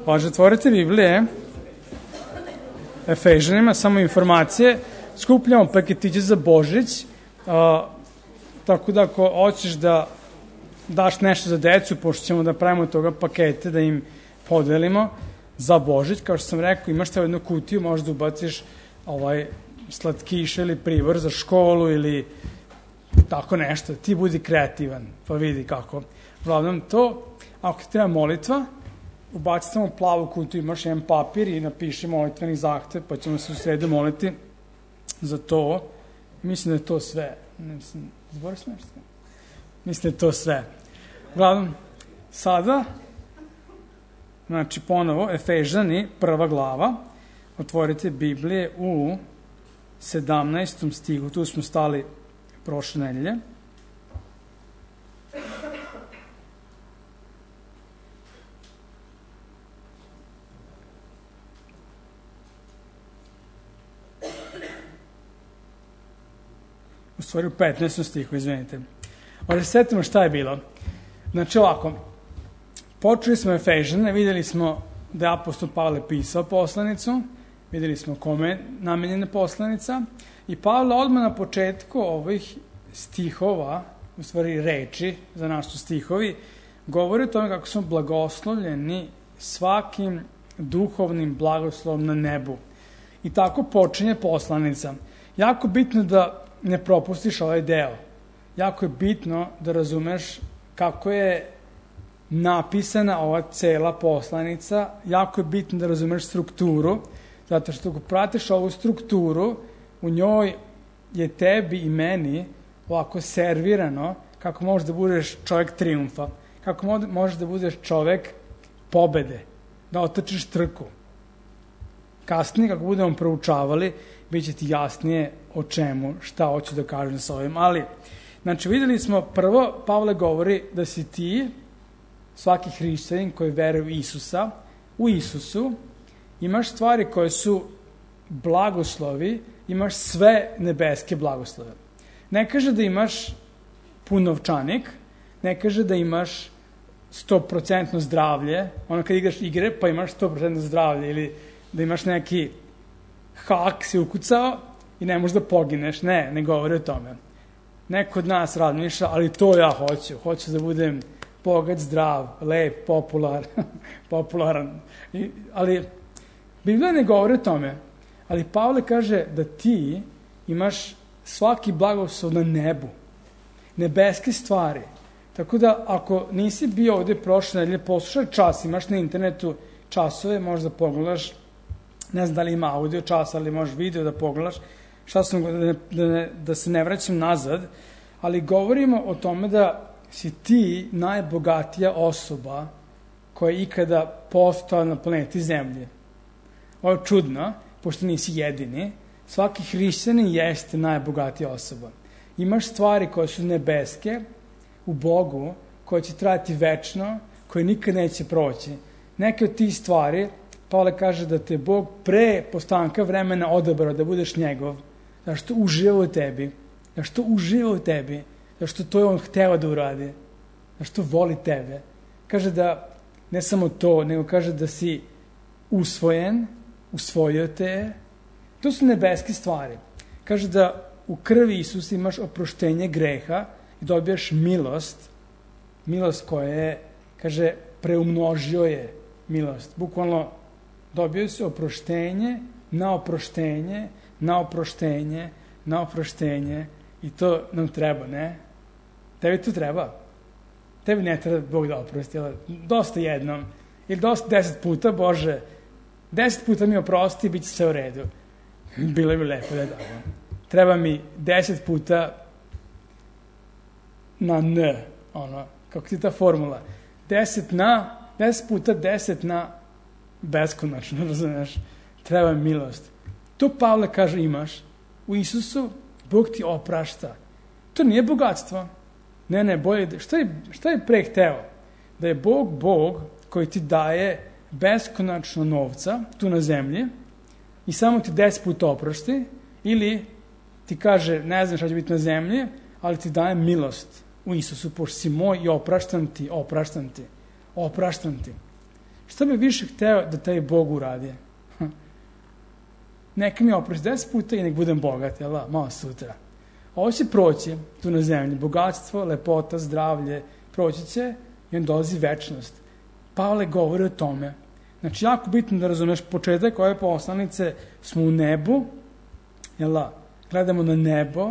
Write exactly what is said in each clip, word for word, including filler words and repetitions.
Važe, otvorite Biblije, Efežanima, samo informacije, skupljamo paketiće za Božić, a, tako da ako hoćeš da daš nešto za decu, pošto ćemo da pravimo toga pakete, da im podelimo za Božić, kao što sam rekao, imaš te jednu kutiju, možda ubaciš ovaj, slatkiše ili pribor za školu ili tako nešto, ti budi kreativan, pa vidi kako. Uglavnom to, ako ti treba molitva, ubaci samo plavu kutiju, imaš jedan papir i napiši molitveni zahtev, pa ćemo se u sredu moliti za to. Mislim da je to sve. Mislim, zbori se nešto? Mislim da je to sve. Uglavnom, sada, znači ponovo, Efežani, prva glava, otvorite Biblije u sedamnaestom stihu, tu smo stali prošle nedelje. U stvari u petnaestom stihu, izvinite. Ali se setimo šta je bilo. Znači ovako, počeli smo Efežane, videli smo da je apostol Pavle pisao poslanicu, videli smo kome je namenjena poslanica i Pavle odmah na početku ovih stihova, u stvari reči, za nas su stihovi, govori o tome kako smo blagoslovljeni svakim duhovnim blagoslovom na nebu. I tako počinje poslanica. Jako bitno da ne propustiš ovaj deo. Jako je bitno da razumeš kako je napisana ova cela poslanica. Jako je bitno da razumeš strukturu, zato što ako pratiš ovu strukturu, u njoj je tebi i meni ovako servirano kako možeš da budeš čovjek trijumfa, kako možeš da budeš čovjek pobede, da otrčiš trku. Kasnije, kako budemo proučavali, bit će ti jasnije o čemu, šta hoću da kažem sa ovim. Ali, znači, videli smo, prvo, Pavle govori da si ti, svaki hrišćanin koji veruje u Isusa, u Isusu, imaš stvari koje su blagoslovi, imaš sve nebeske blagoslove. Ne kaže da imaš pun novčanik, ne kaže da imaš sto procentno zdravlje, ono kad igraš igre pa imaš sto procentno zdravlje, ili da imaš neki hak si ukucao i ne možeš da pogineš. Ne, ne govori o tome. Neko od nas razmišlja, ali to ja hoću. Hoću da budem bogat, zdrav, lep, popular, popularan. I, ali Biblija ne govori o tome. Ali Pavle kaže da ti imaš svaki blagoslov na nebu. Nebeske stvari. Tako da ako nisi bio ovde prošle nedelje, poslušaj čas, imaš na internetu časove, možeš da pogledaš, ne znam da li ima audio čas, ali možeš video da pogledaš, šta sam, da, da, da se ne vraćam nazad, ali govorimo o tome da si ti najbogatija osoba koja je ikada postala na planeti Zemlje. Ovo je čudno, pošto nisi jedini, svaki hrišćanin jeste najbogatija osoba. Imaš stvari koje su nebeske u Bogu, koje će trajati večno, koje nikad neće proći. Neke od tih stvari, Pavle kaže da te Bog pre postanka vremena odabrao da budeš njegov, zašto uživa u tebi, zašto uživa u tebi, zašto to je on hteo da uradi, zašto voli tebe. Kaže da ne samo to, nego kaže da si usvojen, usvojio te. To su nebeske stvari. Kaže da u krvi Isusa imaš oproštenje greha i dobijaš milost, milost koja je, kaže, preumnožio je milost. Bukvalno dobio se oproštenje, na oproštenje, na oproštenje, na oproštenje i to nam treba, ne? Tebi to treba. Tebi ne treba Bog da oprosti, ali dosta jednom, ili dosta deset puta, Bože, deset puta mi oprosti i bit će sve u redu. Bilo bi lepo da je dobro. Treba mi deset puta na N, ono, kako ti ta formula. Deset na, deset puta deset na beskonačno, razumiješ? Treba mi milost. To Pavle kaže imaš. U Isusu Bog ti oprašta. To nije bogatstvo. Ne, ne, bolje, šta je, šta je pre hteo? Da je Bog Bog koji ti daje beskonačno novca tu na zemlji i samo ti deset puta oprosti, ili ti kaže, ne znam šta će biti na zemlji, ali ti daje milost u Isusu, pošto si moj i opraštam ti, opraštam ti, opraštam ti. Šta bi više hteo da taj Bog uradi? Neka mi oprosti deset puta i nek budem bogat, jel da, malo sutra. Ovo će proći tu na zemlji, bogatstvo, lepota, zdravlje, proći će i on dolazi večnost. Pavle govori o tome. Znači, jako bitno da razumeš početak ove poslanice, smo u nebu, jel da, gledamo na nebo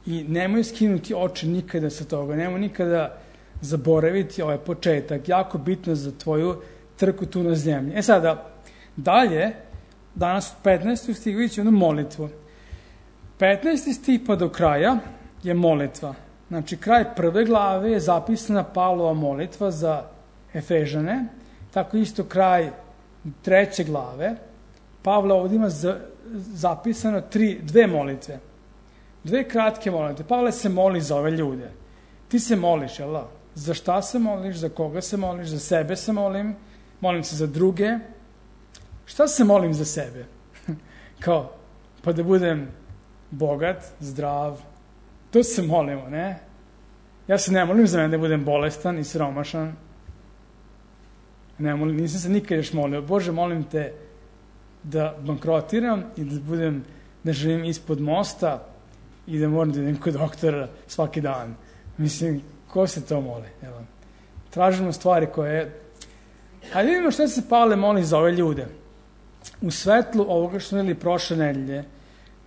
i nemoj skinuti oči nikada sa toga, nemoj nikada zaboraviti ovaj početak, jako bitno za tvoju trku tu na zemlji. E sada, dalje, danas u petnaestom stihu ići jednu molitvu. petnaesti stih pa do kraja je molitva. Znači, kraj prve glave je zapisana Pavlova molitva za Efežane, tako isto kraj treće glave. Pavle ovdje ima za, zapisano tri, dve molitve. Dve kratke molitve. Pavle se moli za ove ljude. Ti se moliš, jel da? Za šta se moliš, za koga se moliš, za sebe se molim, molim se za druge. Šta se molim za sebe? Kao, pa da budem bogat, zdrav. To se molimo, ne? Ja se ne molim za mene da budem bolestan i siromašan. Ne molim, nisam se nikad još molio. Bože, molim te da bankrotiram i da budem, da živim ispod mosta i da moram da idem kod doktora svaki dan. Mislim, ko se to moli? Evo. Tražimo stvari koje... Hajde vidimo što se Pavle moli za ove ljude. U svetlu ovoga što smo videli prošle nedelje,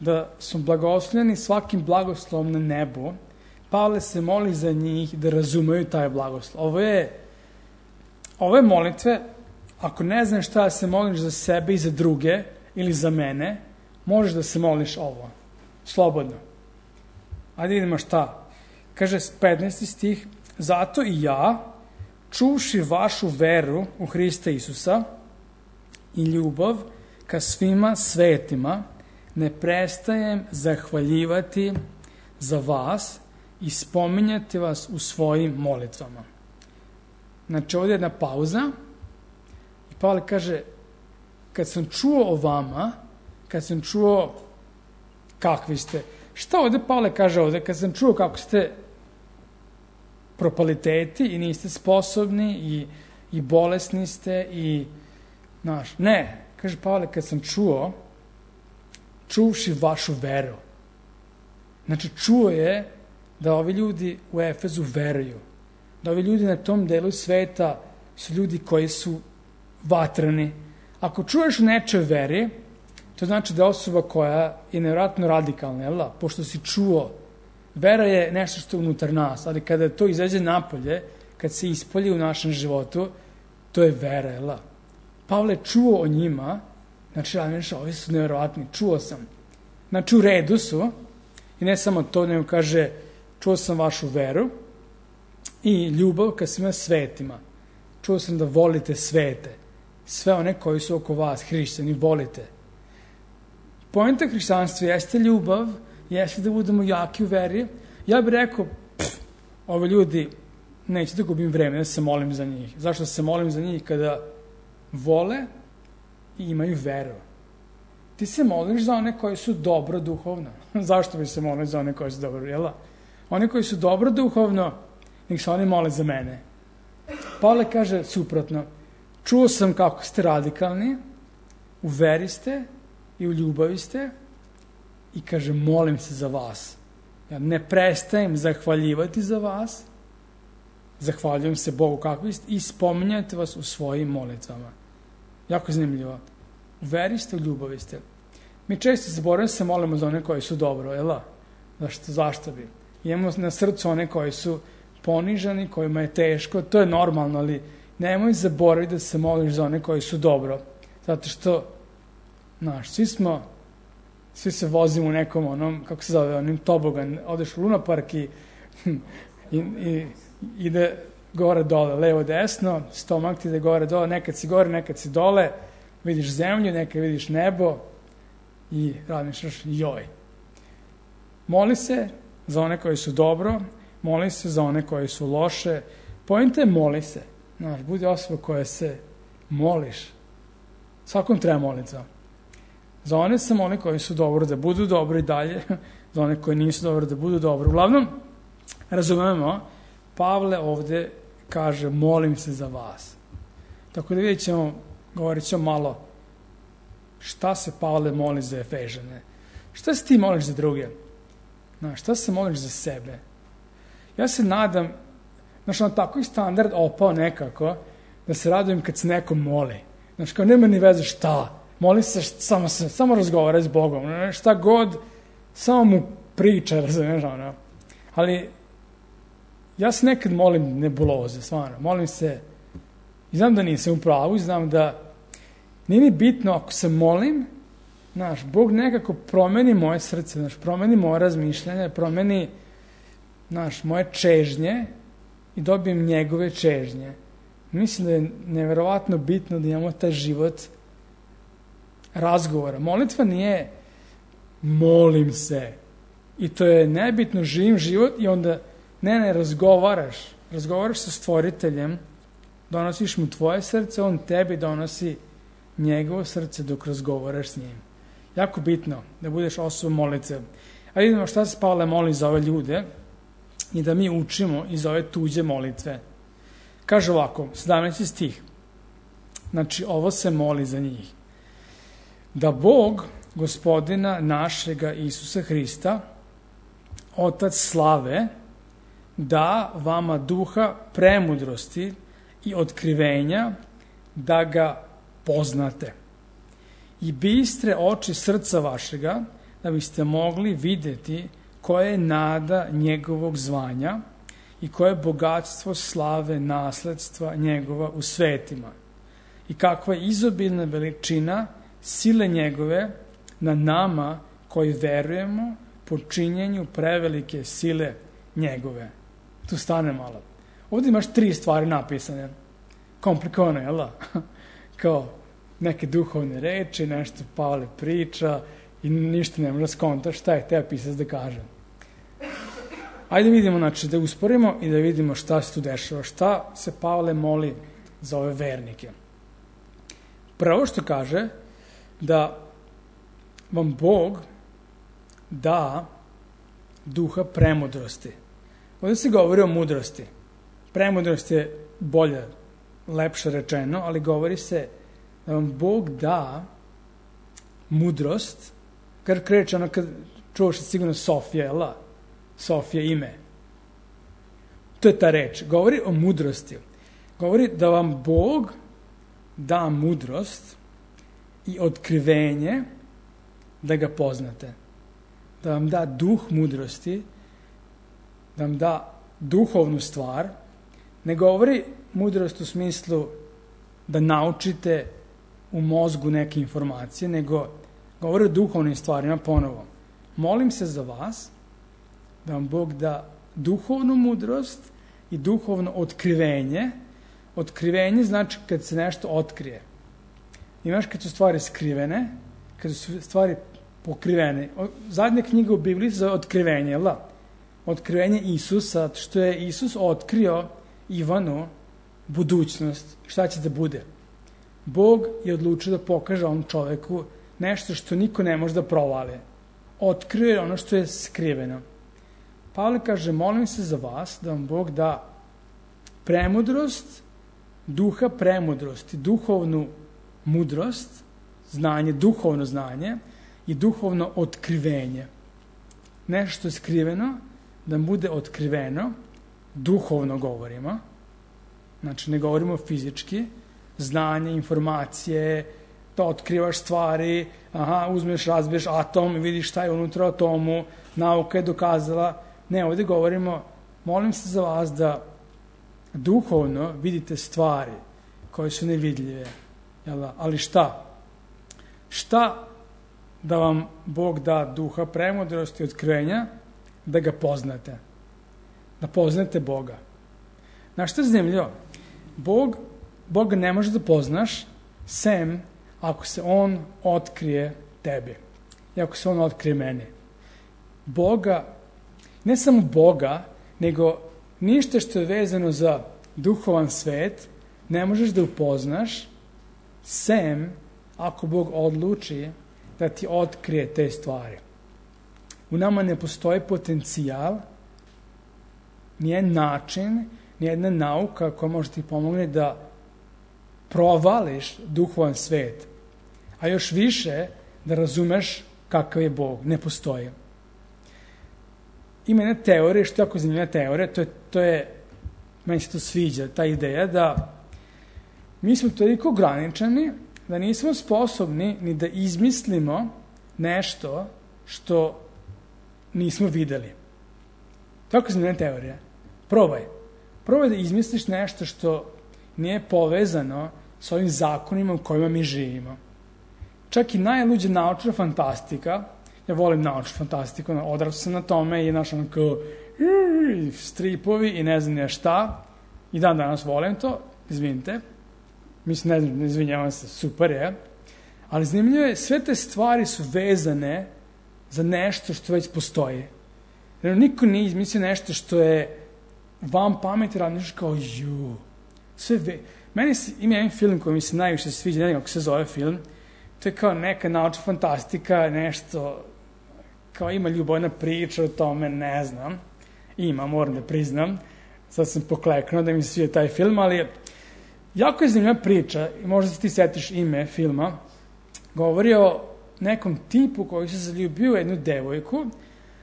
da su blagoslovljeni svakim blagoslovom na nebu, Pavle se moli za njih da razumeju taj blagoslov. Ovo je, ove molitve, ako ne znaš šta da se moliš za sebe i za druge, ili za mene, možeš da se moliš ovo. Slobodno. Ajde vidimo šta. Kaže petnaesti stih, zato i ja, čuvši vašu veru u Hrista Isusa i ljubav ka svima svetima, ne prestajem zahvaljivati za vas i spominjati vas u svojim molitvama. Znači, ovdje je jedna pauza i Pavle kaže, kad sam čuo o vama, kad sam čuo kakvi ste, šta ovdje Pavle kaže ovdje, kad sam čuo kako ste propaliteti i niste sposobni i, i bolesni ste i, znaš, ne, kaže Pavle, kad sam čuo, čuvši vašu veru. Znači, čuo je da ovi ljudi u Efezu veruju. Da ovi ljudi na tom delu sveta su ljudi koji su vatreni. Ako čuješ u nečoj veri, to znači da je osoba koja je nevjerojatno radikalna, jel da? Pošto si čuo, vera je nešto što je unutar nas, ali kada to izađe napolje, kad se ispolji u našem životu, to je vera, jel da? Pavle čuo o njima, znači, znači, ovi su nevjerojatni, čuo sam. Znači, u redu su, i ne samo to, nego kaže, čuo sam vašu veru i ljubav ka svima svetima. Čuo sam da volite svete, sve one koji su oko vas, hrišćani, volite. Poenta hrišćanstva jeste ljubav, jeste da budemo jaki u veri. Ja bih rekao, pff, ovi ljudi, neću da gubim vreme da se molim za njih. Zašto se molim za njih? Kada vole i imaju veru. Ti se moliš za one koji su dobro duhovno. Zašto bi se molili za one koji su dobro, jel da? Oni koji su dobro duhovno, nek se oni mole za mene. Pavle kaže suprotno. Čuo sam kako ste radikalni, u veri ste i u ljubavi ste i kaže, molim se za vas. Ja ne prestajem zahvaljivati za vas, zahvaljujem se Bogu kakvi ste i spominjate vas u svojim molitvama. Jako zanimljivo. U veri ste, u ljubavi ste. Mi često zaboravimo se molimo za one koji su dobro, jel da? Zašto, zašto bi? Imamo na srcu one koji su ponižani, kojima je teško, to je normalno, ali nemoj zaboraviti da se moliš za one koji su dobro. Zato što, znaš, svi smo, svi se vozimo u nekom onom, kako se zove, onim tobogan, odeš u lunapark i, i, i ide gore dole, levo desno, stomak ti ide gore dole, nekad si gore, nekad si dole, vidiš zemlju, nekad vidiš nebo i razmišljaš, joj. Moli se za one koji su dobro, moli se za one koji su loše. Poenta je moli se. Znaš, budi osoba koja se moliš. Svakom treba moliti za. Za one se moli koji su dobro, da budu dobro i dalje. Za one koji nisu dobro, da budu dobro. Uglavnom, razumemo, Pavle ovdje kaže, molim se za vas. Tako da vidjet ćemo, govorit ćemo malo šta se Pavle moli za Efežane. Šta se ti moliš za druge? Znaš, šta se moliš za sebe? Ja se nadam, znaš, on tako i standard opao nekako, da se radujem kad se neko moli. Znaš, kao nema ni veze šta. Moli se, samo, se, samo razgovara s Bogom. Šta god, samo mu priča, razumiješ, ono. Ali ja se nekad molim nebuloze, stvarno. Molim se, i znam da nisam u pravu, i znam da nije mi bitno ako se molim, znaš, Bog nekako promeni moje srce, znaš, promeni moje razmišljanje, promeni, znaš, moje čežnje i dobijem njegove čežnje. Mislim da je neverovatno bitno da imamo taj život razgovora. Molitva nije molim se. I to je nebitno, živim život i onda ne, ne, razgovaraš. Razgovaraš sa stvoriteljem, donosiš mu tvoje srce, on tebi donosi njegovo srce dok razgovaraš s njim. Jako bitno da budeš osoba molitve. A vidimo šta se Pavle moli za ove ljude i da mi učimo iz ove tuđe molitve. Kaže ovako, sedamnaesti stih. Znači, ovo se moli za njih. Da Bog, Gospodina našega Isusa Hrista, Otac slave, da vama duha premudrosti i otkrivenja da ga poznate. I bistre oči srca vašega, da biste mogli vidjeti koja je nada njegovog zvanja i koje je bogatstvo slave nasledstva njegova u svetima i kakva je izobilna veličina sile njegove na nama koji verujemo po činjenju prevelike sile njegove. Tu stane malo. Ovdje imaš tri stvari napisane. Komplikovano, jel da? Kao neke duhovne reči, nešto Pavle priča i ništa ne može skontaš šta je teo pisac da kaže. Ajde vidimo, znači, da usporimo i da vidimo šta se tu dešava. Šta se Pavle moli za ove vernike? Prvo što kaže, da vam Bog da duha premudrosti. Ovdje se govori o mudrosti. Premudrost je bolje, lepše rečeno, ali govori se da vam Bog da mudrost, kad kreće ono kad čuvaš sigurno Sofija, jel da? Sofija ime. To je ta reč. Govori o mudrosti. Govori da vam Bog da mudrost i otkrivenje da ga poznate. Da vam da duh mudrosti, da vam da duhovnu stvar. Ne govori mudrost u smislu da naučite u mozgu neke informacije, nego govori o duhovnim stvarima ponovo. Molim se za vas da vam Bog da duhovnu mudrost i duhovno otkrivenje. Otkrivenje znači kad se nešto otkrije. Imaš kad su stvari skrivene, kad su stvari pokrivene. Zadnja knjiga u Bibliji je otkrivenje, jel da? Otkrivenje Isusa, što je Isus otkrio Ivanu budućnost, šta će da bude. Bog je odlučio da pokaže ovom čoveku nešto što niko ne može da provali. Otkrio je ono što je skriveno. Pavle kaže, molim se za vas da vam Bog da premudrost, duha premudrosti, duhovnu mudrost, znanje, duhovno znanje i duhovno otkrivenje. Nešto što je skriveno, da bude otkriveno, duhovno govorimo, znači ne govorimo fizički, znanje, informacije, da otkrivaš stvari, aha, uzmeš, razbiješ atom i vidiš šta je unutra atomu, nauka je dokazala. Ne, ovdje govorimo, molim se za vas da duhovno vidite stvari koje su nevidljive. Jel da? Ali šta? Šta da vam Bog da duha premudrosti i otkrivenja da ga poznate? Da poznate Boga. Znaš što je zanimljivo? Bog, Boga ne može da poznaš sem ako se On otkrije tebi. I ako se On otkrije meni. Boga, ne samo Boga, nego ništa što je vezano za duhovan svet ne možeš da upoznaš sem ako Bog odluči da ti otkrije te stvari. U nama ne postoji potencijal, nijedan način, nijedna nauka koja može ti pomogne da provališ duhovan svet, a još više da razumeš kakav je Bog. Ne postoji. Ima jedna teorija, što je jako zanimljiva teorija, to je, to je, meni se to sviđa, ta ideja da mi smo toliko ograničeni da nismo sposobni ni da izmislimo nešto što nismo videli. Tako zanimljiva teorija. Probaj. Probaj da izmisliš nešto što nije povezano s ovim zakonima u kojima mi živimo. Čak i najluđa naučna fantastika, ja volim naučnu fantastiku, odrastao sam na tome i naš onako stripovi i ne znam ja šta, i dan danas volim to, izvinite, mislim, ne znam, izvinjavam se, super je, ali zanimljivo je, sve te stvari su vezane za nešto što već postoji. Jer niko nije izmislio nešto što je vam pameti, radniš kao ju. Sve ve... Meni se, ima jedan film koji mi se najviše sviđa, ne znam kako se zove film, to je kao neka naučna fantastika, nešto, kao ima ljubavna priča o tome, ne znam. Ima, moram da priznam. Sad sam pokleknuo da mi se svije taj film, ali jako je zanimljiva priča, i možda se ti setiš ime filma, govori o nekom tipu koji se zaljubio u jednu devojku,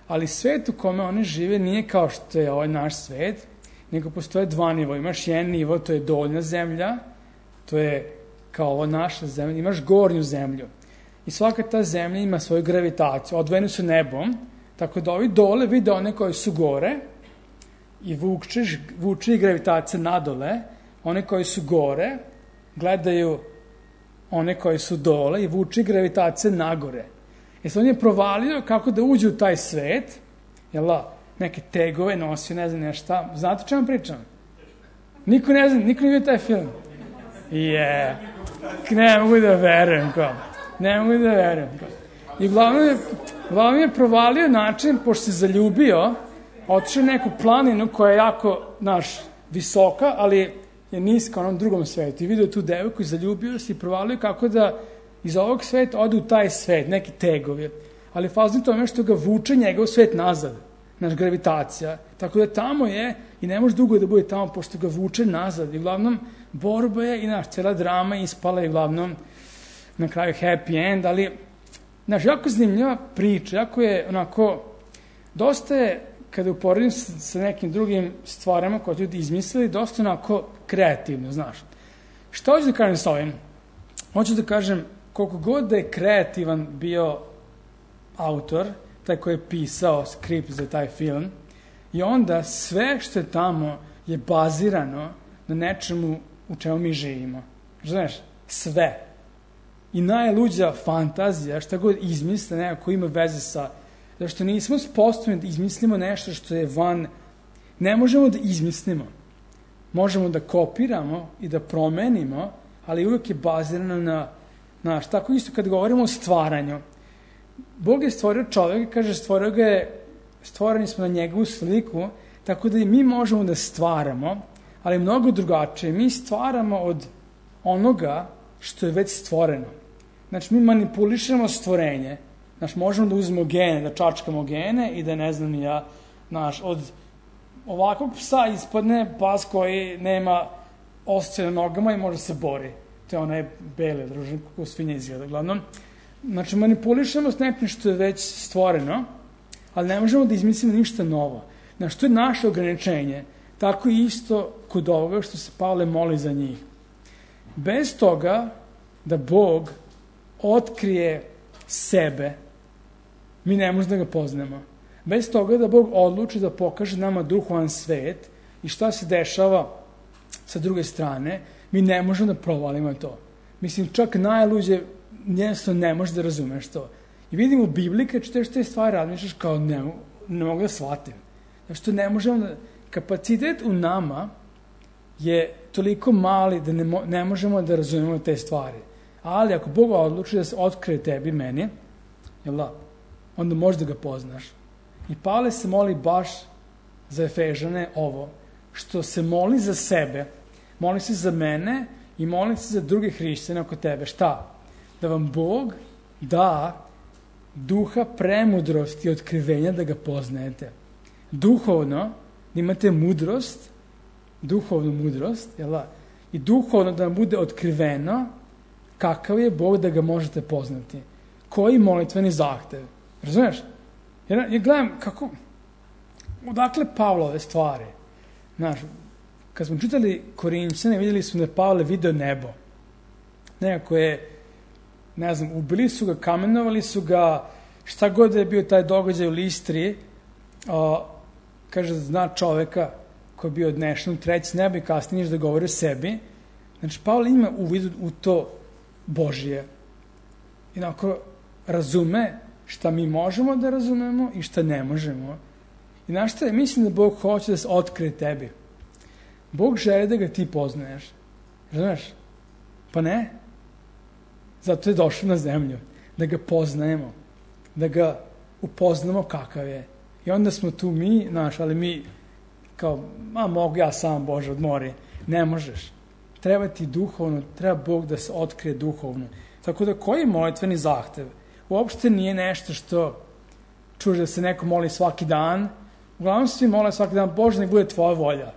ali svet u kome one žive nije kao što je ovaj naš svet, nego postoje dva nivoa. Imaš jedan nivo, to je donja zemlja, to je kao ova naša zemlja, imaš gornju zemlju. I svaka ta zemlja ima svoju gravitaciju, odvojeni su nebom, tako da ovi dole vide one koji su gore i vučeš, vuče i gravitacija nadole, one koji su gore gledaju one koji su dole i vuče gravitacija nagore. I sad on je provalio kako da uđe u taj svet, jel da, neke tegove nosio, ne znam nešto. Znate o čemu pričam? Niko ne zna, niko ne vidio taj film. Je, ne mogu da verujem, kao. Ne mogu da verujem, kao. I uglavnom je, uglavnom je provalio način, pošto se zaljubio, otišao neku planinu koja je jako, naš, visoka, ali je niska u onom drugom svetu. I vidio tu devojku i zaljubio se i provalio kako da iz ovog sveta ode u taj svet, neki tegovi. Ali fazno tome što ga vuče njegov svet nazad, naš gravitacija. Tako da tamo je i ne može dugo da bude tamo pošto ga vuče nazad. I uglavnom borba je i naš cela drama ispala i uglavnom na kraju happy end, ali naš jako zanimljiva priča, jako je onako, dosta je, kada uporedim sa nekim drugim stvarama koje ljudi izmislili, dosta onako kreativno, znaš. Šta hoću da kažem sa ovim? Hoću da kažem, koliko god da je kreativan bio autor, taj koji je pisao skript za taj film, i onda sve što je tamo je bazirano na nečemu u čemu mi živimo. Znaš, sve. I najluđa fantazija, šta god izmisle, nekako ima veze sa... Zašto nismo sposobni da izmislimo nešto što je van... Ne možemo da izmislimo. Možemo da kopiramo i da promenimo, ali uvijek je bazirano na... Znaš, tako isto kad govorimo o stvaranju. Bog je stvorio čovjeka, kaže, stvorio ga je, stvoreni smo na njegovu sliku, tako da i mi možemo da stvaramo, ali mnogo drugačije. Mi stvaramo od onoga što je već stvoreno. Znači, mi manipulišemo stvorenje. Znači, možemo da uzmemo gene, da čačkamo gene i da, ne znam ja, znaš, od ovakvog psa ispadne pas koji nema osjećaj na nogama i može se bori. To je onaj bele družine, kako svinja izgleda. Uglavnom, znači, manipulišemo s nekim što je već stvoreno, ali ne možemo da izmislimo ništa novo. Znači, to je naše ograničenje. Tako isto kod ovoga što se Pavle moli za njih. Bez toga da Bog otkrije sebe, mi ne možemo da ga poznamo. Bez toga da Bog odluči da pokaže nama duhovan svet i šta se dešava sa druge strane, mi ne možemo da provalimo to. Mislim, čak najluđe jednostavno ne možeš da razumeš to. I vidimo u Bibliji, kad čitaš te stvari, razmišljaš kao ne, ne mogu da shvatim. Znači, to ne možemo da... Kapacitet u nama je toliko mali da ne, mo, ne možemo da razumemo te stvari. Ali ako Bog odluči da se otkrije tebi, meni, jel da, onda možeš da ga poznaš. I Pavle se moli baš za Efežane ovo, što se moli za sebe, moli se za mene i moli se za druge hrišćane oko tebe. Šta? Da vam Bog da duha premudrosti i otkrivenja da ga poznajete. Duhovno, da imate mudrost, duhovnu mudrost, jel da? i duhovno da vam bude otkriveno kakav je Bog da ga možete poznati. Koji molitveni zahtev. Razumiješ? Jer ja gledam kako, odakle Pavlove stvari. Znaš, kad smo čitali Korinćane, vidjeli smo da je Pavle video nebo. Nekako je, ne znam, ubili su ga, kamenovali su ga, šta god je bio taj događaj u Listri, o, kaže, zna čoveka koji je bio odnešen u treći nebo i kasnije da govori o sebi. Znači, Pavle ima uvid u to Božije. I onako razume šta mi možemo da razumemo i šta ne možemo. I znaš šta je? Mislim da Bog hoće da se otkrije tebi. Bog želi da ga ti poznaješ. Razumeš? Pa ne. Zato je došao na zemlju. Da ga poznajemo. Da ga upoznamo kakav je. I onda smo tu mi, znaš, ali mi kao, a mogu ja sam, Bože, odmori. Ne možeš. Treba ti duhovno, treba Bog da se otkrije duhovno. Tako da koji je molitveni zahtev? Uopšte nije nešto što čuješ da se neko moli svaki dan. Uglavnom svi mole svaki dan, Bože, nek bude tvoja volja.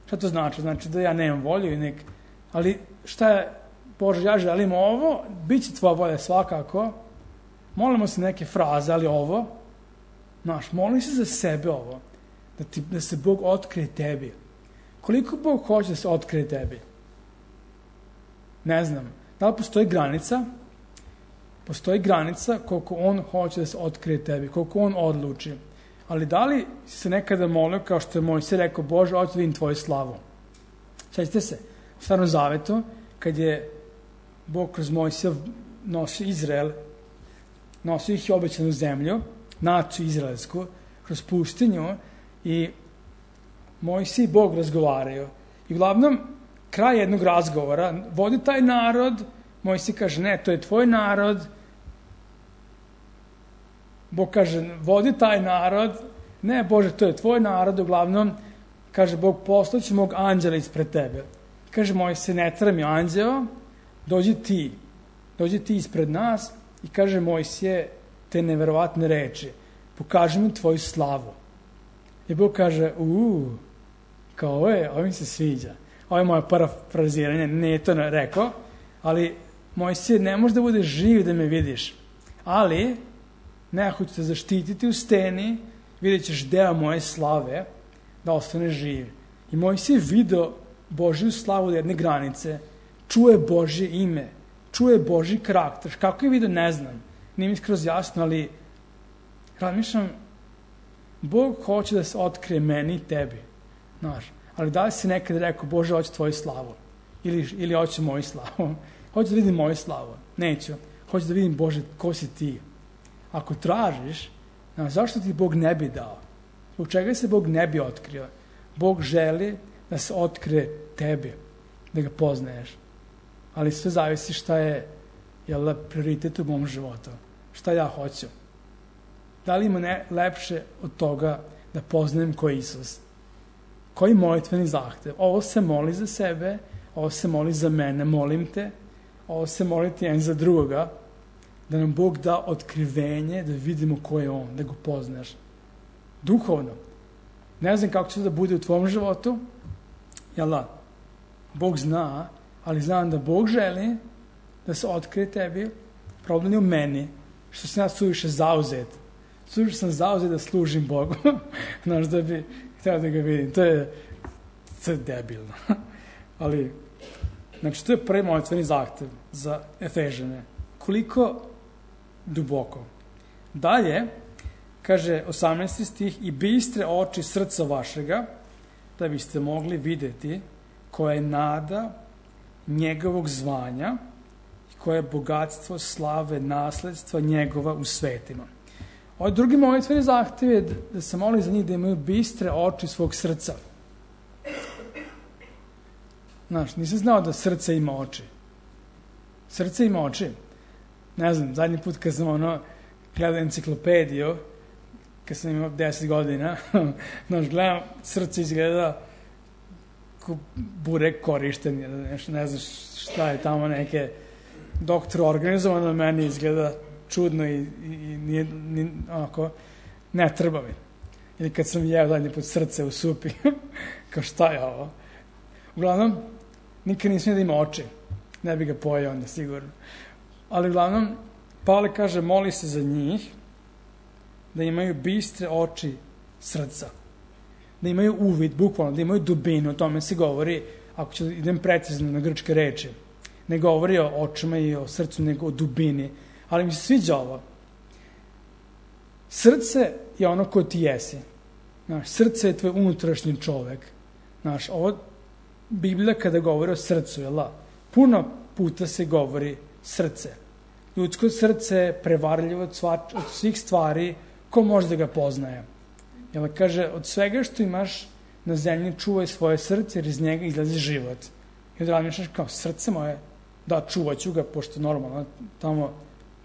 Šta to znači? Znači da ja nemam volju i nek... Ali šta je, Bože, ja želim ovo, bit će tvoja volja svakako. Molimo se neke fraze, ali ovo, znaš, moli se za sebe ovo. Da, ti, da se Bog otkrije tebi. Koliko Bog hoće da se otkrije tebi? Ne znam. Da li postoji granica? Postoji granica koliko on hoće da se otkrije tebi, koliko on odluči. Ali da li si se nekada molio, kao što je Mojsije rekao, Bože, hoću da vidim tvoju slavu. Sjećate se, u Starom Zavetu, kad je Bog kroz Mojsija nosio Izrael, nosio ih i obećanu zemlju, naciju izraelsku, kroz pustinju, i Mojsije i Bog razgovaraju. I uglavnom, kraj jednog razgovora, vodi taj narod, Mojsije kaže, ne, to je tvoj narod. Bog kaže, vodi taj narod. Ne, Bože, to je tvoj narod. Uglavnom, kaže Bog, poslaću mog anđela ispred tebe. Kaže Mojsije, ne treba mi anđeo, dođi ti. Dođi ti ispred nas i kaže Mojsije te neverovatne reči. Pokaži mi tvoju slavu. I Bog kaže, uuu, kao ovo je, ovo mi se sviđa. Ovo je moje parafraziranje, ne je to rekao, ali Mojsije, ne može da bude živ da me vidiš, ali nekako ću te zaštititi u steni, vidjet ćeš deo moje slave, da ostane živ. I Mojsije video Božju slavu do jedne granice, čuje Božje ime, čuje Božji karakter. Kako je video, ne znam, nije mi skroz jasno, ali razmišljam, Bog hoće da se otkrije meni i tebi, znaš. Ali da li si nekad rekao, Bože, hoću tvoju slavu? Ili, ili hoću moju slavu? Hoću da vidim moju slavu? Neću. Hoću da vidim, Bože, ko si ti? Ako tražiš, znaš, zašto ti Bog ne bi dao? Zbog čega se Bog ne bi otkrio? Bog želi da se otkrije tebi, da ga poznaješ. Ali sve zavisi šta je, jel, prioritet u mom životu. Šta ja hoću? Da li ima ne lepše od toga da poznajem ko je Isus? Koji molitveni zahtev? Ovo se moli za sebe, ovo se moli za mene, molim te, ovo se moliti jedan za drugoga, da nam Bog da otkrivenje, da vidimo ko je on, da ga poznaš. Duhovno. Ne znam kako će da bude u tvom životu, jel da? Bog zna, ali znam da Bog želi da se otkrije tebi. Problem je u meni, što sam ja suviše zauzet. Suviše sam zauzet da služim Bogu. Znaš, da bi htio da ga vidim. To je, to je debilno. Ali, znači, to je prvi molitveni zahtev za Efežane. Koliko duboko. Dalje, kaže osamnaesti stih, i bistre oči srca vašega, da biste mogli vidjeti koja je nada njegovog zvanja i koje je bogatstvo slave nasledstva njegova u svetima. Ovaj drugi molitveni zahtev je da se moli za njih da imaju bistre oči svog srca. Znaš, nisam znao da srce ima oči. Srce ima oči. Ne znam, zadnji put kad sam ono gledao enciklopediju, kad sam imao deset godina, znaš, gledam, srce izgleda ko burek korišten, nešto, ne znaš šta je tamo, neke doktor organizovano, meni izgleda čudno i, i, i nije, nije, onako, ne treba mi. Ili kad sam jeo zadnji put srce u supi, kao šta je ovo? Uglavnom, nikad nisam da ima oči. Ne bi ga pojao onda sigurno. Ali uglavnom, Pavle kaže, moli se za njih da imaju bistre oči srca. Da imaju uvid, bukvalno, da imaju dubinu. O tome se govori, ako ću idem precizno na grčke reči. Ne govori o očima i o srcu, nego o dubini. Ali mi se sviđa ovo. Srce je ono ko ti jesi. Znaš, srce je tvoj unutrašnji čovek. Znaš, ovo Biblija kada govori o srcu, jel da? Puno puta se govori srce. Ljudsko srce je prevarljivo od, sva, od svih stvari, ko može da ga poznaje. Jel kaže, od svega što imaš na zemlji čuvaj svoje srce, jer iz njega izlazi život. I onda razmišljaš kao, srce moje, da, čuvat ću ga, pošto normalno tamo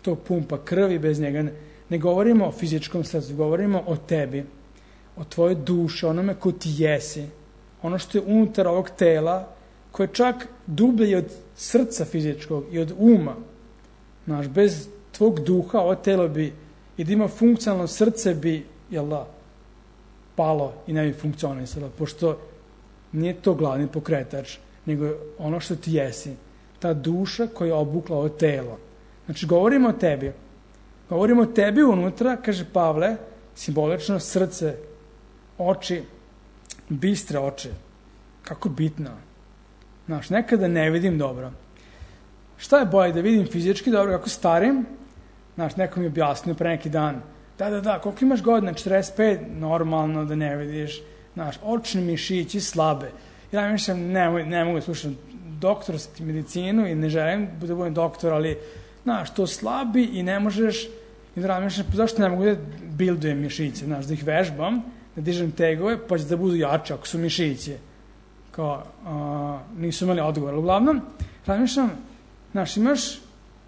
to pumpa krvi, bez njega ne, ne govorimo o fizičkom srcu, govorimo o tebi, o tvojoj duši, onome ko ti jesi, ono što je unutar ovog tela, koje čak dublje od srca fizičkog i od uma. Znaš, bez tvog duha ovo telo bi, i da ima funkcionalno srce bi, jel da, palo i ne bi funkcionisalo, pošto nije to glavni pokretač, nego ono što ti jesi, ta duša koja je obukla ovo telo. Znači, govorimo o tebi. Govorimo o tebi unutra, kaže Pavle, simbolično srce, oči, bistre oči. Kako bitno. Znaš, nekada ne vidim dobro. Šta je bolje, da vidim fizički dobro kako starim? Znaš, neko mi je objasnio pre neki dan. Da, da, da, koliko imaš godina? četrdeset pet? Normalno da ne vidiš. Znaš, očni mišići slabe. Ja mislim, ne, ne mogu da slušam doktorsku medicinu i ne želim da budem doktor, ali, znaš, to slabi i ne možeš, i da razmišljam, zašto ne mogu da bildujem mišiće, znaš, da ih vežbam, da dižem tegove, pa će da budu jače ako su mišiće. Kao, a, nisu imali odgovor. Uglavnom, razmišljam, znaš, imaš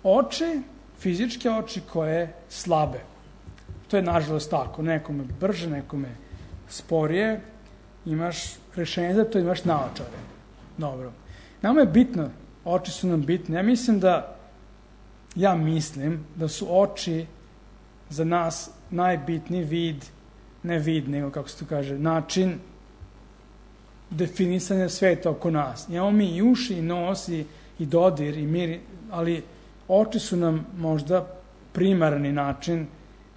oči, fizičke oči koje slabe. To je nažalost tako. Nekome brže, nekome sporije. Imaš rešenje za to, imaš naočare. Dobro. Nama je bitno, oči su nam bitne. Ja mislim da, ja mislim da su oči za nas najbitniji vid, ne vid, nego kako se to kaže, način definisanja sveta oko nas. Imamo mi i uši, i nos, i, i dodir, i mir, ali oči su nam možda primarni način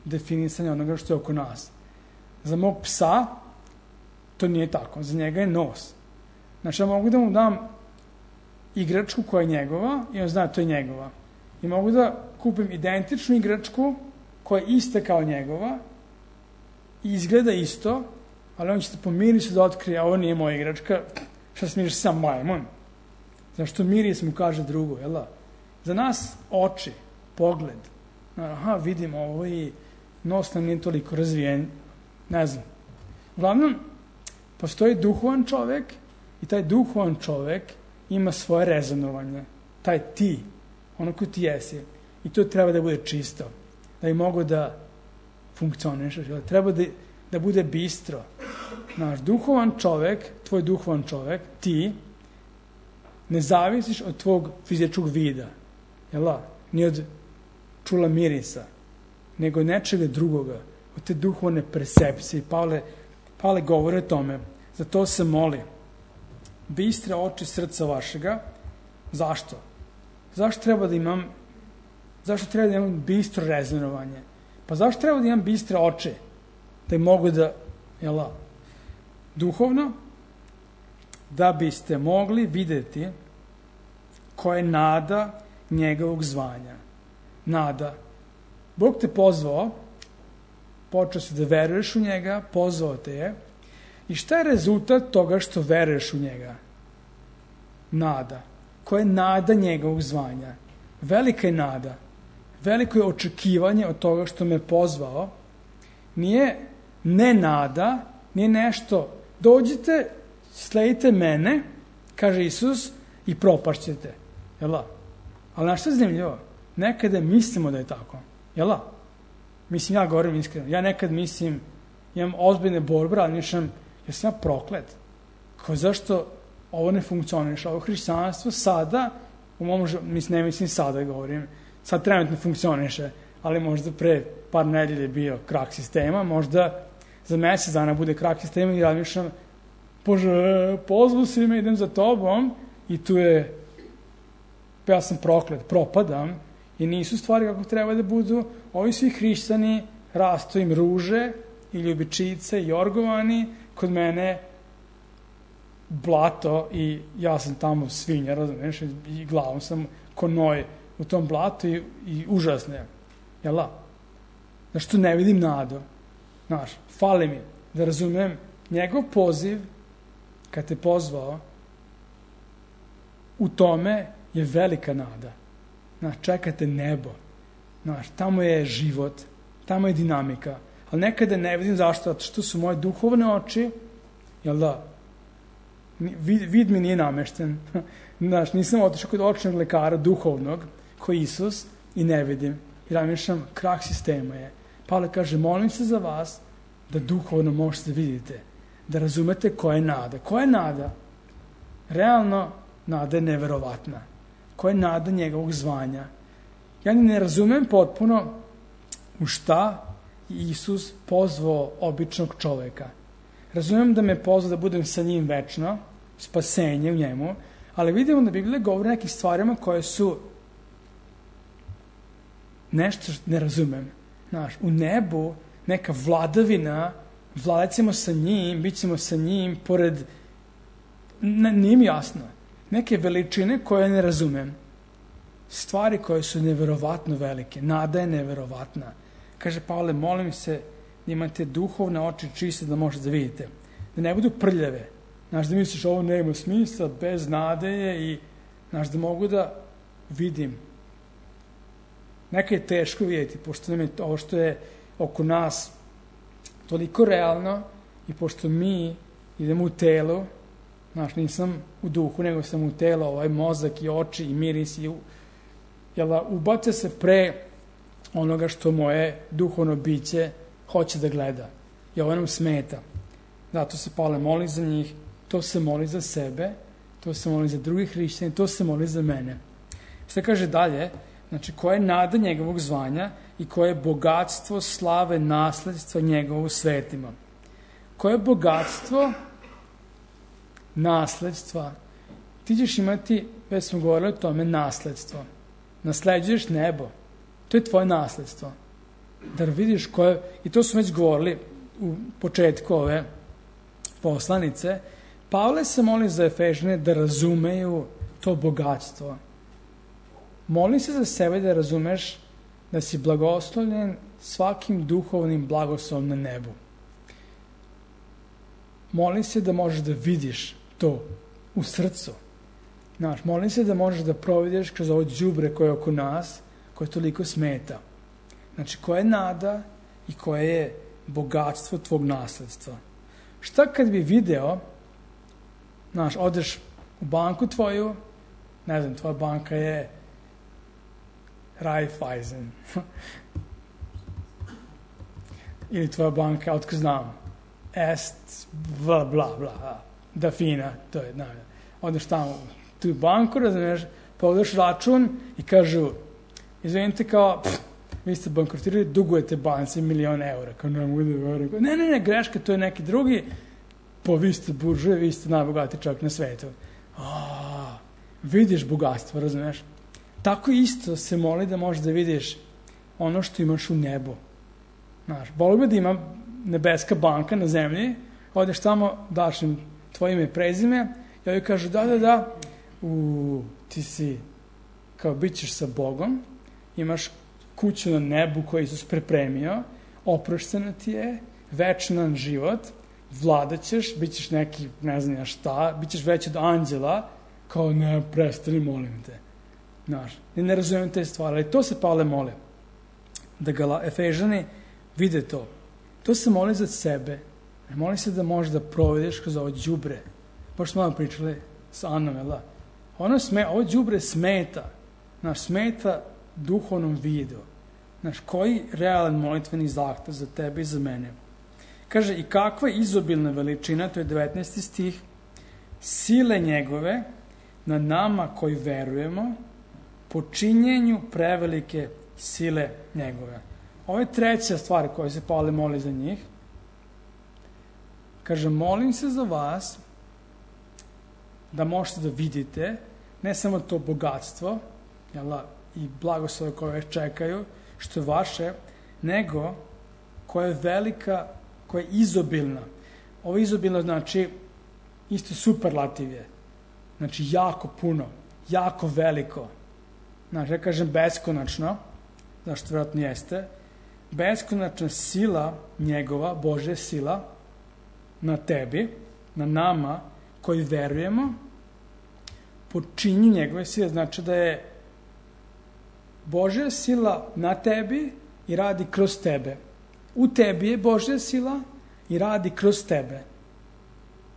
definisanja onoga što je oko nas. Za mog psa to nije tako. Za njega je nos. Znači, ja mogu da mu dam igračku koja je njegova i on zna da to je njegova. I mogu da kupim identičnu igračku koja je ista kao njegova i izgleda isto, ali on će se po mirisu da otkrije, a ovo nije moja igračka, šta se miriš sam majmun. Zašto miris mu kaže drugo, jel da? Za nas oči, pogled, aha, vidimo ovo i nos nam nije toliko razvijen, ne znam. Uglavnom, postoji duhovan čovek i taj duhovan čovek ima svoje rezonovanje. Taj ti, ono ko ti jesi. I to treba da bude čisto. Da bi mogo da funkcionišeš. Treba da, da bude bistro. Naš duhovan čovek, tvoj duhovan čovek, ti, ne zavisiš od tvog fizičkog vida. Jel da? Ni od čula mirisa. Nego nečega drugoga. Od te duhovne percepcije. Pavle, Pavle govori o tome. Zato se moli. Bistre oči srca vašega. Zašto? Zašto treba da imam zašto treba da imam bistro rezonovanje? Pa zašto treba da imam bistre oči? Da im mogu da, jel, duhovno, da biste mogli videti koja je nada njegovog zvanja. Nada. Bog te pozvao, počeo si da veruješ u njega, pozvao te je. I šta je rezultat toga što veruješ u njega? Nada. Koja je nada njegovog zvanja? Velika je nada. Veliko je očekivanje od toga što me pozvao. Nije ne nada, nije nešto. Dođite, sledite mene, kaže Isus, i propašćete. Jel da? Ali znaš što je zanimljivo? Nekada mislimo da je tako. Jel da? Mislim, ja govorim iskreno. Ja nekad mislim, imam ozbiljne borbe, ali nišam, ja sam ja proklet. Kao zašto ovo ne funkcioniše? Ovo hrišćanstvo sada, u mom, mislim, ne mislim sada govorim, sad trenutno funkcioniše, ali možda pre par nedelje je bio krak sistema, možda za mesec dana bude krak sistema i razmišljam, Bože, pozvu si me, idem za tobom i tu je, ja sam proklet, propadam i nisu stvari kako treba da budu. Ovi svi hrišćani, rastu im ruže i ljubičice i jorgovani, kod mene blato i ja sam tamo svinja, razumiješ, i glavom sam ko noj u tom blatu i, i užasno je. Jel da? Zašto ne vidim nadu? Znaš, fali mi da razumem njegov poziv kad te pozvao, u tome je velika nada. Znaš, čekate nebo. Znaš, tamo je život, tamo je dinamika. Ali nekada ne vidim zašto, zato što su moje duhovne oči, jel da, vid, vid mi nije namešten. Znaš, nisam otišao kod očnog lekara duhovnog, ko Isus, i ne vidim. I razmišljam, krah sistema je. Pavle kaže, molim se za vas da duhovno možete vidite, da razumete koja je nada. Koja je nada? Realno, nada je neverovatna. Koja je nada njegovog zvanja? Ja ni ne razumem potpuno u šta Isus pozvao običnog čoveka. Razumem da me pozvao da budem sa njim večno, spasenje u njemu, ali vidimo da Biblija govori o nekim stvarima koje su nešto što ne razumem. Znaš, u nebu neka vladavina, vladat ćemo sa njim, bit ćemo sa njim, pored, nije mi jasno, neke veličine koje ne razumem. Stvari koje su neverovatno velike, nada je neverovatna. Kaže Pavle, molim se da imate duhovne oči čiste da možete da vidite. Da ne budu prljave. Znaš, da misliš ovo nema smisla, bez nade je i znaš, da mogu da vidim. Neka je teško vidjeti, pošto nam je ovo što je oko nas toliko realno i pošto mi idemo u telu, znaš, nisam u duhu, nego sam u telo, ovaj mozak i oči i miris i jel, ubace se pre onoga što moje duhovno biće hoće da gleda. I ovo nam smeta. Zato se Pavle moli za njih, to se moli za sebe, to se moli za drugih hrišćana, to se moli za mene. Šta kaže dalje? Znači, koja je nada njegovog zvanja i koje je bogatstvo slave nasledstva njegovu svetima. Koje je bogatstvo nasledstva? Ti ćeš imati, već smo govorili o tome, nasledstvo. Nasleđuješ nebo. To je tvoje nasledstvo. Da vidiš koje, i to smo već govorili u početku ove poslanice, Pavle se moli za Efežane da razumeju to bogatstvo. Moli se za sebe da razumeš da si blagoslovljen svakim duhovnim blagoslovom na nebu. Moli se da možeš da vidiš to u srcu. Znaš, moli se da možeš da providiš kroz ovo đubre koje je oko nas, koje toliko smeta. Znači, koja je nada i koje je bogatstvo tvog nasledstva. Šta kad bi video, znaš, odeš u banku tvoju, ne znam, tvoja banka je Raiffeisen. Ili tvoja banka, otko znam, Est, bla, bla, bla, Dafina, to je, ne, odeš tamo u tu banku, razumiješ, pogledaš račun i kažu, izvinite, kao, pff, vi ste bankrotirali, dugujete banci milion eura. Kao, ne, ne, ne, ne, greška, to je neki drugi, pa vi ste buržuje, vi ste najbogatiji čovjek na svetu. A, vidiš bogatstvo, razumiješ? Tako isto se moli da možeš da vidiš ono što imaš u nebu. Znaš, volio bi da ima nebeska banka na zemlji, odeš tamo, daš im tvoje ime i prezime, i ovi kažu, da, da, da, u, ti si, kao, bit ćeš sa Bogom, imaš kuću na nebu koju Isus prepremio, oprošteno ti je, večnan život, vladat ćeš, bit ćeš neki, ne znam ja šta, bit ćeš veći od anđela, kao, ne, prestani, molim te. Znaš, ne razumijem te stvari, ali to se Pavle mole, da ga Efežani vide to. To se moli za sebe, ne moli se da možeš da provedeš kroz ovo đubre. Pošto smo vam pričali sa Anom, jel da? Ono sme, ovo đubre smeta, znaš, smeta duhovnom vidu. Znaš, koji realan molitveni zahtev za tebe i za mene. Kaže, i kakva izobilna veličina, to je devetnaesti stih, sile njegove na nama koji verujemo, po činjenju prevelike sile njegove. Ovo je treća stvar koja se Pavle moli za njih. Kaže, molim se za vas da možete da vidite ne samo to bogatstvo, jel, i blagoslove koje vas čekaju, što je vaše, nego koja je velika, koja je izobilna. Ovo izobilno znači isto superlativ je. Znači jako puno, jako veliko. Znači, ja kažem beskonačno, zašto vjerojatno jeste, beskonačna sila njegova, Božja sila, na tebi, na nama, koji verujemo, počinju njegove sile. Znači da je Božja sila na tebi i radi kroz tebe. U tebi je Božja sila i radi kroz tebe.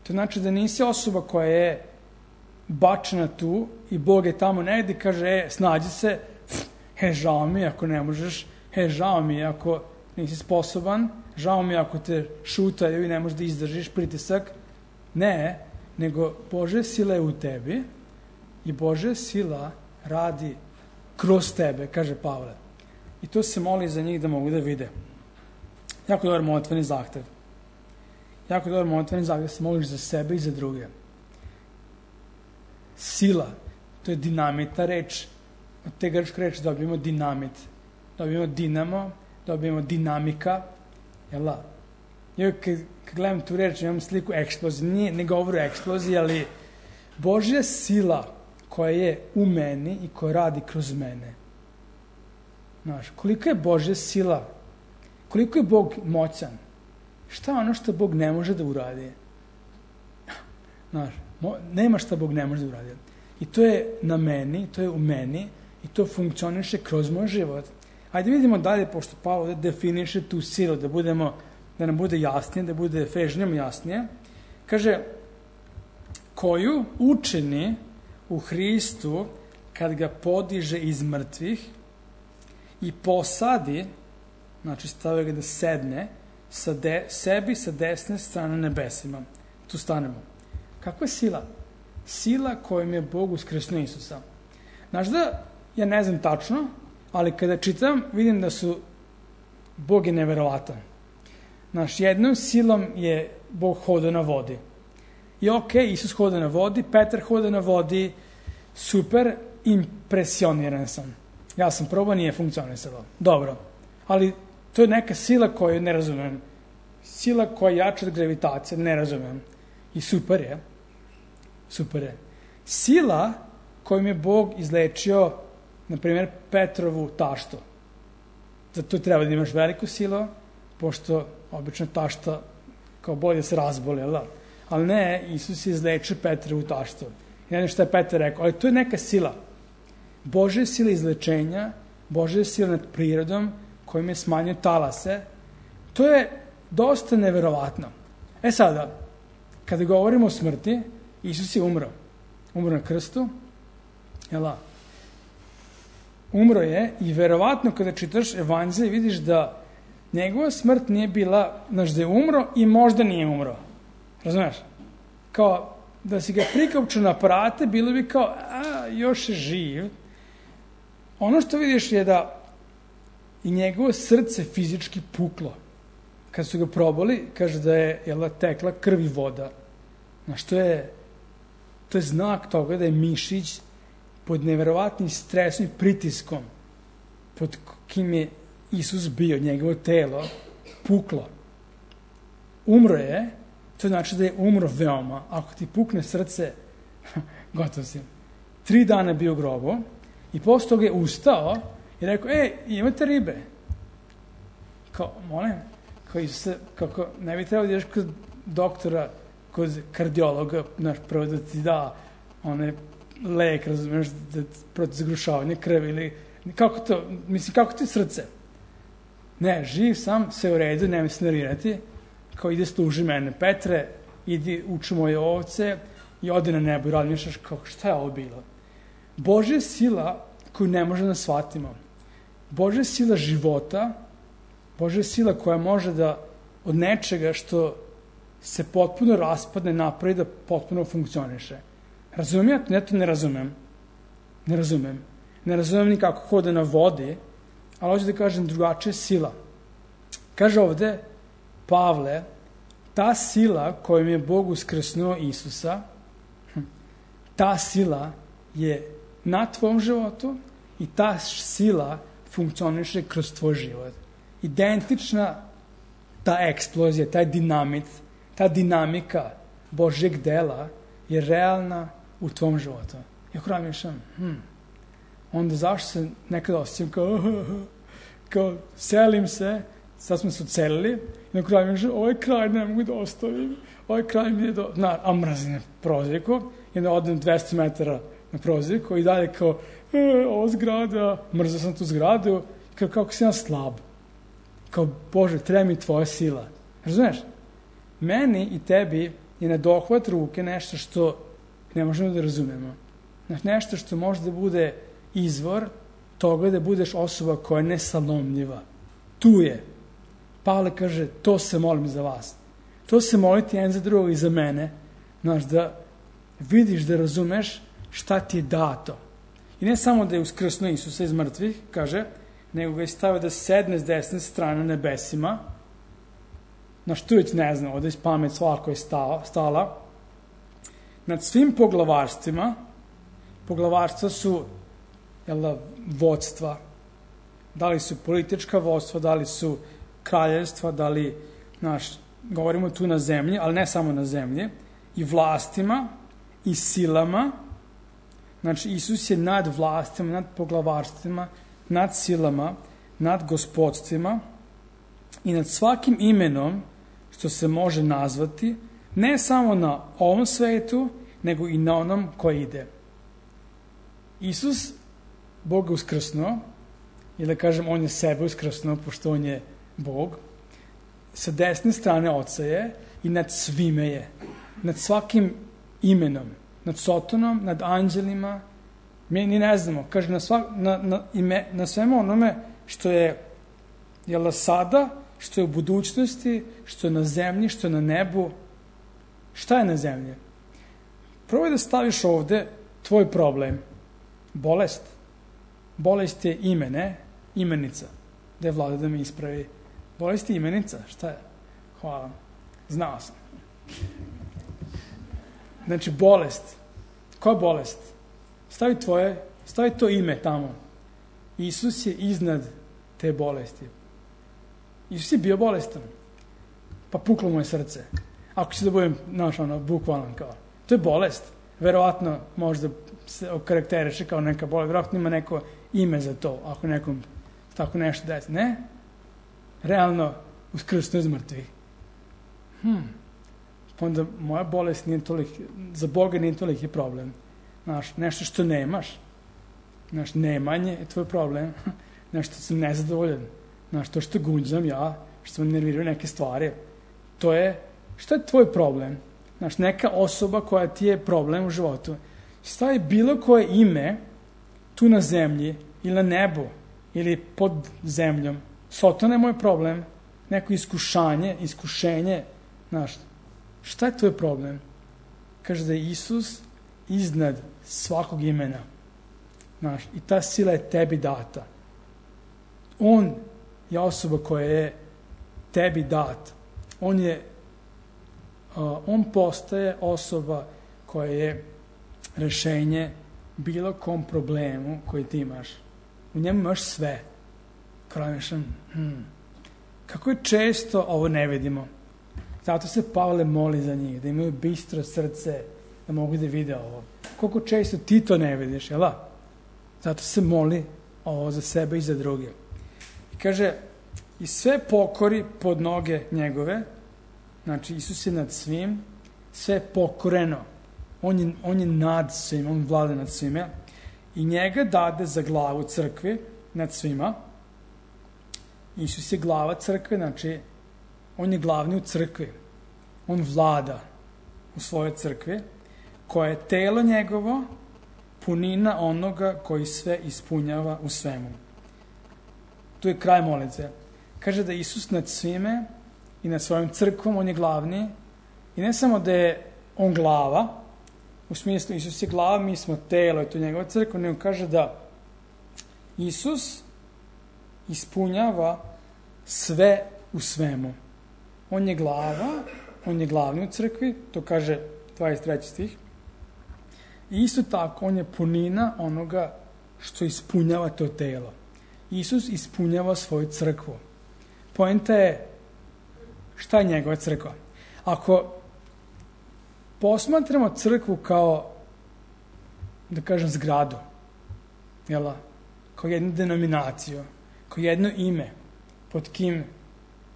To znači da nisi osoba koja je bačena tu i Bog je tamo negdje i kaže, e, snađi se, he, žao mi ako ne možeš, he, žao mi ako nisi sposoban, žao mi ako te šutaju i ne možeš da izdržiš pritisak. Ne, nego Božja sila je u tebi i Božja sila radi kroz tebe, kaže Pavle. I to se moli za njih da mogu da vide. Jako dobar molitveni zahtev. Jako dobar molitveni zahtev, se moliš za sebe i za druge. Sila, to je dinamita reč. Od te grčke reči dobijemo dinamit. Dobijemo dinamo, dobijemo dinamika. Jel' ja kad, kad gledam tu reč, imam sliku eksplozije. Nije, ne govoru o eksploziji, ali Božja sila koja je u meni i koja radi kroz mene. Znaš, koliko je Božja sila, koliko je Bog moćan, šta je ono što Bog ne može da uradi? Znaš, nema šta Bog ne može da uradi. I to je na meni, to je u meni i to funkcioniše kroz moj život. Ajde vidimo dalje, pošto Pavle definiše tu silu, da budemo, da nam bude jasnije, da bude Efežnjama jasnije. Kaže, koju učini u Hristu kad ga podiže iz mrtvih i posadi, znači stavio ga da sedne, sa de, sebi sa desne strane nebesima. Tu stanemo. Kakva je sila? Sila kojom je Bog uskrsnuo Isusa. Znaš da, ja ne znam tačno, ali kada čitam, vidim da su Bog je neverovatan. Znaš, jednom silom je Bog hodao na vodi. I ok, Isus hoda na vodi, Petar hoda na vodi, super, impresioniran sam. Ja sam probao, nije funkcionisalo. Dobro, ali to je neka sila koju ne razumem. Sila koja je jača od gravitacije, ne razumem. I super je. Super je. Sila kojom je Bog izlečio, na primjer, Petrovu taštu. Zato treba da imaš veliku silu, pošto obično tašta kao bolje se razboli, ali, ali ne, Isus je izlečio Petrovu taštu. I ne znam šta je Petar rekao, ali to je neka sila. Božja sila izlečenja, Božja sila nad prirodom, kojim je smanjio talase. To je dosta neverovatno. E sada, kada govorimo o smrti, Isus je umro. Umro na krstu. Jela? Umro je i verovatno kada čitaš evanđelje vidiš da njegova smrt nije bila, znaš, da je umro i možda nije umro. Razumeš? Kao da si ga prikopčao na aparate, bilo bi kao, a, još je živ. Ono što vidiš je da i njegovo srce fizički puklo. Kad su ga probali, kaže da je jela, tekla krv i voda. Znaš, to je, to je znak toga da je mišić pod neverovatnim stresom i pritiskom pod kim je Isus bio, njegovo telo, puklo. Umro je, to znači da je umro veoma. Ako ti pukne srce, gotov si. Tri dana bio u grobu i posle toga je ustao i rekao, ej, imate ribe? Kao, molim, kao Isuse, kako ne bi trebalo da ideš kod doktora, kod kardiologa, znaš, prvo da ti da one lek, razumiješ, da protiv zagrušavanja krvi ili, kako to, mislim, kako ti srce? Ne, živ sam, sve u redu, nemoj se nervirati, kao ide služi mene, Petre, idi uči moje ovce i ode na nebo i razmišljaš kao šta je ovo bilo. Božja sila koju ne možemo da shvatimo. Božja sila života, Božja sila koja može da od nečega što se potpuno raspadne napravi da potpuno funkcioniše. Razumijem ja to? Ja to ne razumem. Ne razumem. Ne razumem ni kako hoda na vodi, ali hoću da kažem drugačija sila. Kaže ovde Pavle, ta sila kojom je Bog uskrsnuo Isusa, ta sila je na tvom životu i ta sila funkcioniše kroz tvoj život. Identična ta eksplozija, taj dinamit, ta dinamika Božjeg dela je realna u tvom životu. I ako razmišljam, hm, onda zašto se nekada osjećam kao, kao selim se, sad smo se ocelili, i na kraju mi kaže, ovaj kraj ne mogu da ostavim, ovaj kraj mi je do... Na, a mrzim prozirku, i onda odem dvesta metara na prozirku i dalje kao, e, ova zgrada, mrzio sam tu zgradu, kao kako si ja slab. Kao, Bože, treba mi tvoja sila. Razumeš? Meni i tebi je na dohvat ruke nešto što ne možemo da razumemo. Znači, nešto što može da bude izvor toga da budeš osoba koja je nesalomljiva. Tu je. Pavle kaže, to se molim za vas. To se moliti jedan za drugog i za mene. Znaš, da vidiš, da razumeš šta ti je dato. I ne samo da je uskrsnuo Isusa iz mrtvih, kaže, nego ga je stavio da sedne s desne strane nebesima. Znaš, tu već ne znam, ovdje iz pamet svako je stala, stala. Nad svim poglavarstvima, poglavarstva su jel, vodstva, da li su politička vodstva, da li su kraljevstva, da li, znaš, govorimo tu na zemlji, ali ne samo na zemlji, i vlastima, i silama. Znači, Isus je nad vlastima, nad poglavarstvima, nad silama, nad gospodstvima i nad svakim imenom što se može nazvati, ne samo na ovom svetu, nego i na onom koji ide. Isus, Bog je uskrsnuo, ili kažem, on je sebe uskrsnuo, pošto on je Bog, sa desne strane Oca je i nad svime je. Nad svakim imenom, nad Sotonom, nad anđelima, mi ni ne znamo, kaže, na, svak, na, na, ime, na svemu onome što je jel, sada, što je u budućnosti, što je na zemlji, što je na nebu. Šta je na zemlji? Probaj da staviš ovde tvoj problem. Bolest. Bolest je ime, ne? Imenica. Da je Vlada da mi ispravi. Bolest je imenica. Šta je? Hvala. Znao sam. Znači, bolest. Koja bolest? Stavi tvoje, stavi to ime tamo. Isus je iznad te bolesti. Isus je bio bolestan. Pa puklo mu je srce. Ako će da budem, znaš, ono, bukvalan kao. To je bolest. Verovatno možda se okarakteriše kao neka bolest. Verovatno ima neko ime za to, ako nekom tako nešto desi. Ne? Realno, uskrsnuo iz mrtvih. Hmm. Pa onda moja bolest nije toliki, za Boga nije toliki problem. Znaš, nešto što nemaš, znaš, nemanje je tvoj problem, nešto sam nezadovoljan, znaš, to što gunđam ja, što sam nervirao neke stvari, to je, što je tvoj problem? Znaš, neka osoba koja ti je problem u životu, stavi bilo koje ime tu na zemlji ili na nebu ili pod zemljom, Sotona je moj problem, neko iskušanje, iskušenje, znaš, šta je tvoj problem? Kaže da je Isus iznad svakog imena. Znaš, i ta sila je tebi data. On je osoba koja je tebi dat. On je, uh, on postaje osoba koja je rešenje bilo kom problemu koji ti imaš. U njemu imaš sve. Krajnešan, hmm. Kako je često ovo ne vidimo. Zato se Pavle moli za njih, da imaju bistro srce, da mogu da vide ovo. Koliko često ti to ne vidiš, jel' da? Zato se moli ovo za sebe i za druge. I kaže, i sve pokori pod noge njegove, znači Isus je nad svim, sve je pokoreno. On je, on je nad svim, on vlada nad svime. I njega dade za glavu crkvi nad svima. Isus je glava crkve, znači on je glavni u crkvi. On vlada u svojoj crkvi, koja je telo njegovo, punina onoga koji sve ispunjava u svemu. Tu je kraj molitve. Kaže da Isus nad svime i nad svojom crkvom, on je glavni. I ne samo da je on glava, u smislu Isus je glava, mi smo telo, je to njegova crkva, nego kaže da Isus ispunjava sve u svemu. On je glava, on je glavni u crkvi, to kaže dvadeset treći stih. I isto tako, on je punina onoga što ispunjava to telo. Isus ispunjava svoju crkvu. Poenta je šta je njegova crkva. Ako posmatramo crkvu kao, da kažem, zgradu, jel, kao jednu denominaciju, kao jedno ime pod kim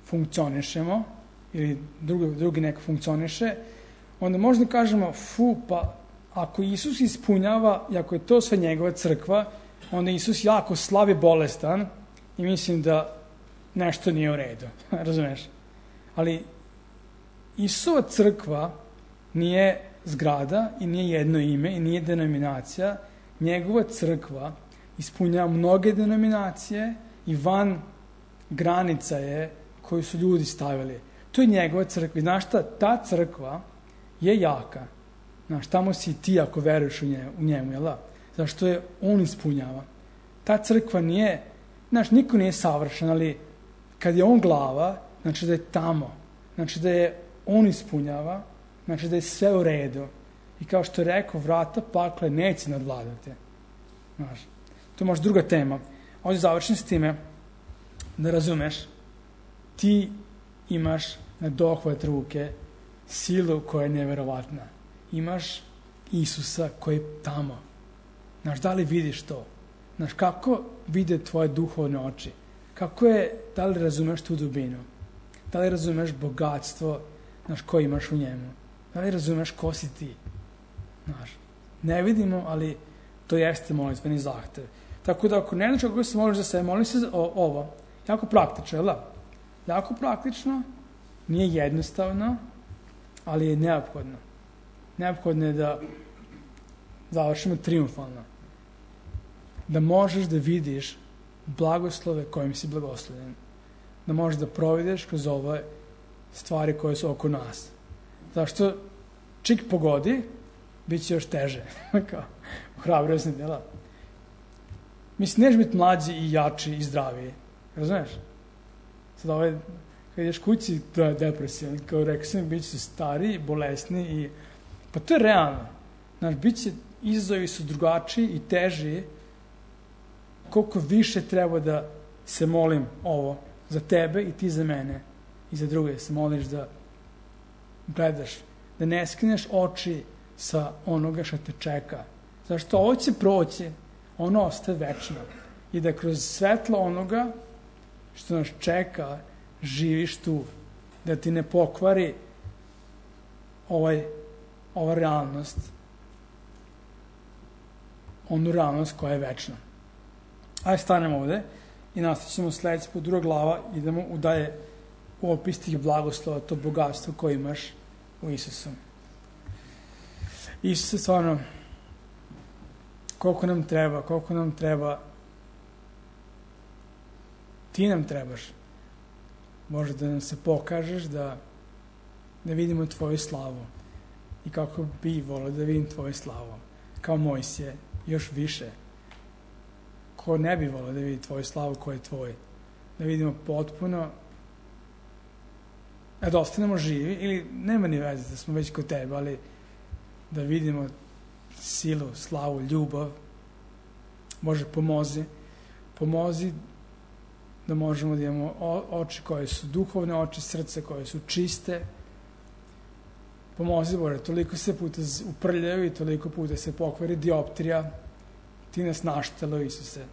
funkcionišemo, ili drugi, drugi neko funkcioniše, onda možda kažemo, fu, pa ako Isus ispunjava, i ako je to sve njegova crkva, onda Isus jako slab i bolestan i mislim da nešto nije u redu. Razumeš? Ali Isusova crkva nije zgrada i nije jedno ime i nije denominacija. Njegova crkva ispunjava mnoge denominacije i van granica je koju su ljudi stavili. To je njegova crkva. Znaš šta? Ta crkva je jaka. Znaš, tamo si ti ako veruješ u njemu, u njemu jel da? Zašto je on ispunjava. Ta crkva nije, znaš, niko nije savršen, ali kad je on glava, znači da je tamo. Znači da je on ispunjava, znači da je sve u redu. I kao što je rekao, vrata pakle neće nadvladati. Znaš, to je možda druga tema. Ovdje završim s time da razumeš, ti imaš na dohvat ruke silu koja je neverovatna. Imaš Isusa koji je tamo. Znaš, da li vidiš to? Znaš, kako vide tvoje duhovne oči? Kako je, da li razumeš tu dubinu? Da li razumeš bogatstvo, znaš, koje imaš u njemu? Da li razumeš ko si ti? Znaš, ne vidimo, ali to jeste molitveni zahtev. Tako da ako ne znaš kako se moliš za sebe, moli se o, ovo. Jako praktično, jel da? Jako praktično, nije jednostavno, ali je neophodno. Neophodno je da završimo triumfalno. Da možeš da vidiš blagoslove kojim si blagoslovljen. Da možeš da provedeš kroz ove stvari koje su oko nas. Zašto čik pogodi, bit će još teže. Kao, hrabrio sam, jel? Mislim, neš biti mlađi i jači i zdraviji. Razumeš? Sad ovaj, kad ideš kući, da je depresivan. Kao rekao sam, bit će stariji, bolesni i... Pa to je realno. Znaš, bit će, izazovi su drugačiji i teži. Koliko više treba da se molim ovo za tebe i ti za mene i za druge. Se moliš da gledaš, da ne skineš oči sa onoga što te čeka. Zašto ovo će proći, ono ostaje večno. I da kroz svetlo onoga što nas čeka, živiš tu. Da ti ne pokvari ovaj, ova realnost, onu realnost koja je večna. Ajde, stanemo ovde i nastavit ćemo sledeći put, druga glava, idemo u dalje u opis tih blagoslova, to bogatstvo koje imaš u Isusu. Isuse, stvarno, koliko nam treba, koliko nam treba, ti nam trebaš. Može da nam se pokažeš, da, da vidimo tvoju slavu. I kako bi volio da vidim tvoju slavu. Kao Mojsije, još više. Ko ne bi volio da vidi tvoju slavu, ko je tvoj. Da vidimo potpuno, a da ostanemo živi, ili nema ni veze da smo već kod tebe, ali da vidimo silu, slavu, ljubav. Bože, pomozi. Pomozi da možemo da imamo oči koje su duhovne oči, srce koje su čiste. Pomozi, Bože, toliko se puta uprljaju i toliko puta se pokvari dioptrija. Ti nas naštelo, Isuse.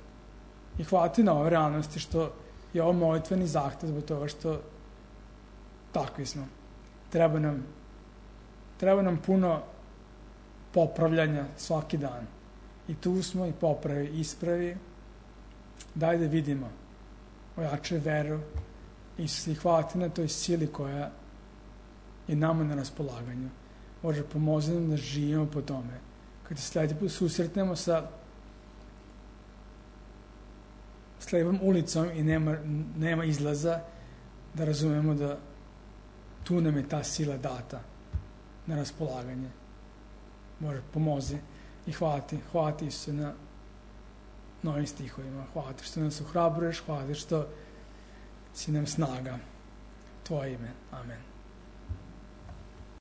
I hvala ti na ove realnosti što je ovo molitveni zahtev zbog toga što takvi smo. Treba nam, treba nam puno popravljanja svaki dan. I tu smo i popravi, ispravi. Daj da vidimo. Ojačaj veru. Isuse, i hvala ti na toj sili koja je nama na raspolaganju. Bože, pomozi nam da živimo po tome. Kad se sljedeći put susretnemo sa slijevom ulicom i nema, nema izlaza, da razumemo da tu nam je ta sila data na raspolaganje. Bože, pomozi i hvala ti, hvala ti Isuse na novim stihovima. Hvala ti što nas ohrabruješ, hvala ti što si nam snaga. Tvoje ime. Amen.